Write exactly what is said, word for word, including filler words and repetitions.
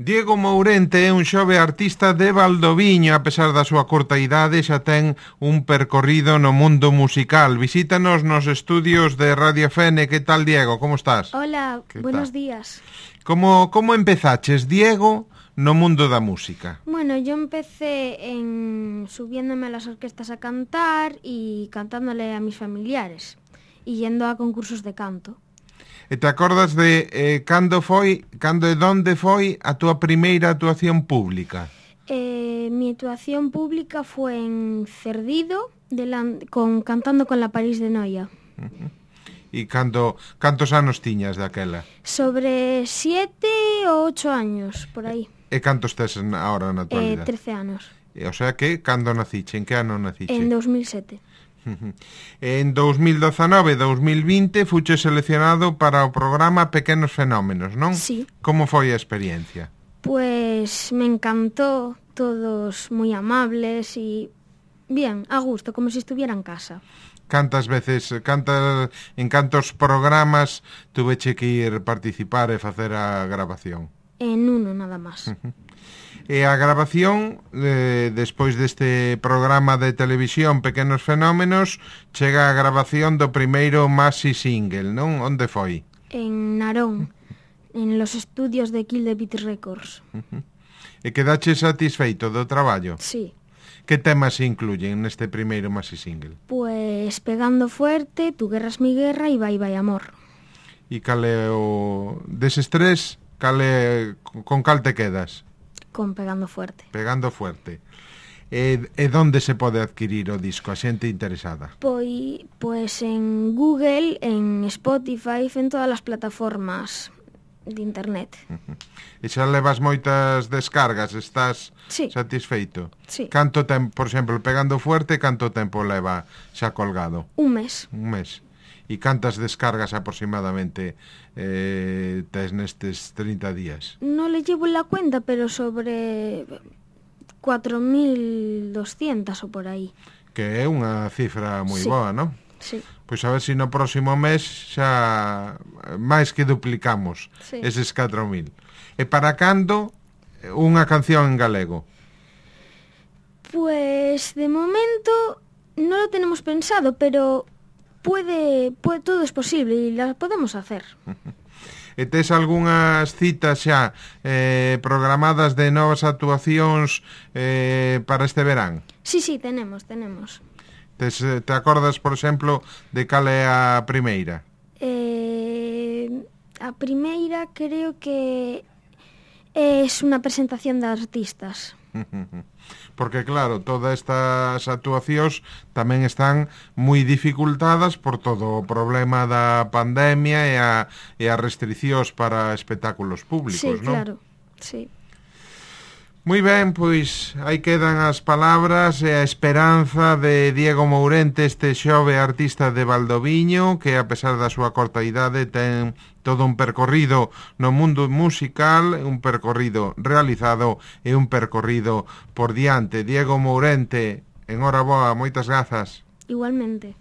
Diego Mourente é un xove artista de Valdoviño. A pesar da súa corta idade, xa ten un percorrido no mundo musical. Visítanos nos estudios de Radio F N. Que tal, Diego? Como estás? Hola, ¿Qué buenos tal? días. Como, como empezaches, Diego, no mundo da música? Bueno, yo empecé en subiéndome a las orquestas a cantar y cantándole a mis familiares y yendo a concursos de canto. E te acordas de eh, cando foi, cando e donde foi a túa primeira actuación pública? Eh, mi actuación pública fue en Cerdido, delan- con, cantando con la París de Noia. Uh-huh. E cando, cantos anos tiñas daquela? Sobre siete o ocho años, por ahí. E cantos tes ahora na Eh, actualidade? trece anos. E, o sea que, cando naciche? En que ano naciche? En dos mil siete. En dos mil dezanove e dos mil vinte fuche seleccionado para o programa Pequenos Fenómenos, non? Sí. Como foi a experiencia? Pues me encantó, todos muy amables y bien, a gusto, como si estuviera en casa. Cantas veces, cantas, en cantos programas tuveche que ir participar e facer a grabación? En uno nada más. E a grabación, eh, despois deste programa de televisión Pequenos Fenómenos, chega a grabación do primeiro maxi single, non? Onde foi? En Narón, en los estudios de Kill the Beat Records. E quedache satisfeito do traballo? Sí. Que temas se incluyen neste primeiro maxi single? Pues Pegando Fuerte, Tu guerra es mi guerra y Bye Bye Amor. E cal é o... deses tres, cal é... con cal te quedas? Con Pegando Fuerte. Pegando Fuerte. E, e donde se pode adquirir o disco? A xente interesada? Pues, pues en Google, en Spotify, en todas las plataformas de internet. E xa levas moitas descargas? Estás Sí. satisfeito? Sí. Canto tempo, por exemplo, Pegando Fuerte, canto tempo leva xa colgado? Un mes. Un mes. E cantas descargas aproximadamente eh, tes nestes trinta días? No le llevo la cuenta, pero sobre cuatro mil doscientas o por ahí. Que é unha cifra moi Sí. boa, non? Sí. Pois a ver se no próximo mes xa máis que duplicamos Sí. eses catro mil. E para cando unha canción en galego? Pues de momento no lo tenemos pensado, pero puede, puede todo es posible y las podemos hacer. E tes algunhas citas xa eh, programadas de novas actuacións eh, para este verán? Sí, sí, tenemos, tenemos. Tes, eh, te acordas, por exemplo, de cal é a primeira? Eh, a primeira creo que es una presentación de artistas. Porque claro, todas estas actuacións tamén están moi dificultadas por todo o problema da pandemia e a, e as restriccións para espectáculos públicos, Sí, non? claro, sí. Moi ben, pois aí quedan as palabras e a esperanza de Diego Mourente, este xove artista de Valdoviño, que a pesar da súa corta idade ten todo un percorrido no mundo musical, un percorrido realizado e un percorrido por diante. Diego Mourente, enhoraboa, moitas grazas. Igualmente.